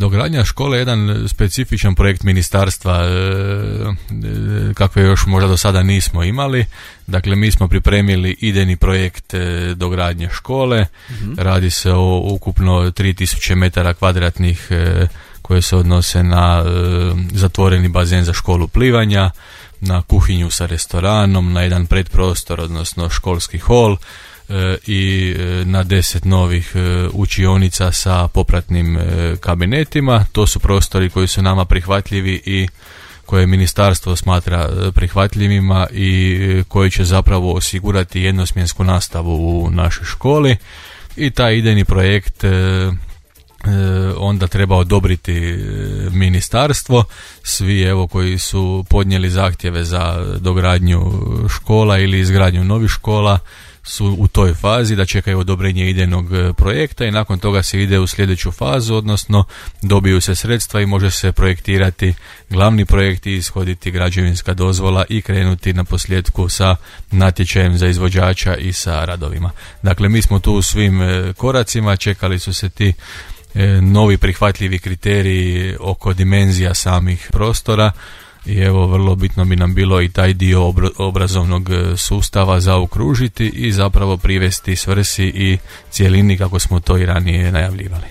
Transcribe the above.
Dogradnja škole je jedan specifičan projekt ministarstva kakve još možda do sada nismo imali. Dakle, mi smo pripremili idejni projekt dogradnje škole. Radi se o ukupno 3000 metara kvadratnih koje se odnose na zatvoreni bazen za školu plivanja, na kuhinju sa restoranom, na jedan predprostor, odnosno školski hol, i na 10 novih učionica sa popratnim kabinetima. To su prostori koji su nama prihvatljivi i koje ministarstvo smatra prihvatljivima i koji će zapravo osigurati jednosmjensku nastavu u našoj školi. I taj idejni projekt onda treba odobriti ministarstvo. Svi evo koji su podnijeli zahtjeve za dogradnju škola ili izgradnju novih škola su u toj fazi da čekaju odobrenje idejnog projekta i nakon toga se ide u sljedeću fazu, odnosno dobiju se sredstva i može se projektirati glavni projekt i ishoditi građevinska dozvola i krenuti na posljedku sa natječajem za izvođača i sa radovima. Dakle, mi smo tu u svim koracima, čekali su se ti novi prihvatljivi kriteriji oko dimenzija samih prostora i evo vrlo bitno bi nam bilo i taj dio obrazovnog sustava zaokružiti i zapravo privesti svrsi i cjelini kako smo to i ranije najavljivali.